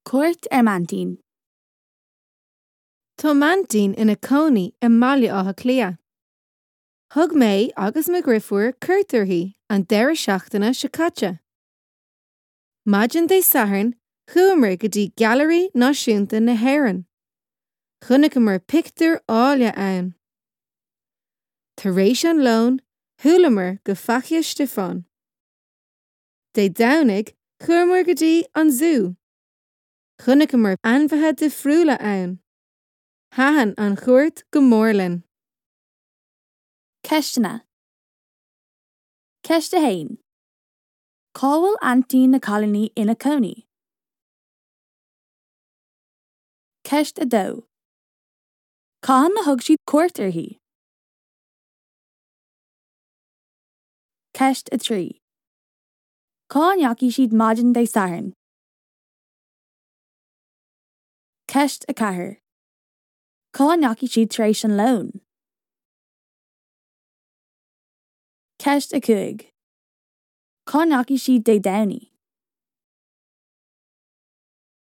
Cuairt ar m'aintín. Tá m'aintín ina cónaí i mBaile Átha Cliath. Thug mé agus mo dhriofúr cuairt uirthi an deireadh seachtaine seo caite. Maidin Dé Sathairn chuamar go dtí Gailearaí Náisiúnta na hÉireann. Chonaiceamar pictiúir áille ann. Tar éis an lóin shiúlamar go Faiche Stiofáin. Dé Domhnaigh chuamar go dtí an zú. Chonaiceamar ainmhithe difriúla ann. Thaitin an chuairt go mór linn. Ceisteanna Ceist 1. Cá bhfuil aintín na cailíní ina cónaí? Ceist 2. Cathain a thug siad cuairt uirthi? Ceist 3. Cá ndeachaigh siad maidin Dé Sathairn? Ceist 4. Cá ndeachaigh siad tar éis an lóin? Ceist 5. Cá ndeachaigh siad Dé Domhnaigh?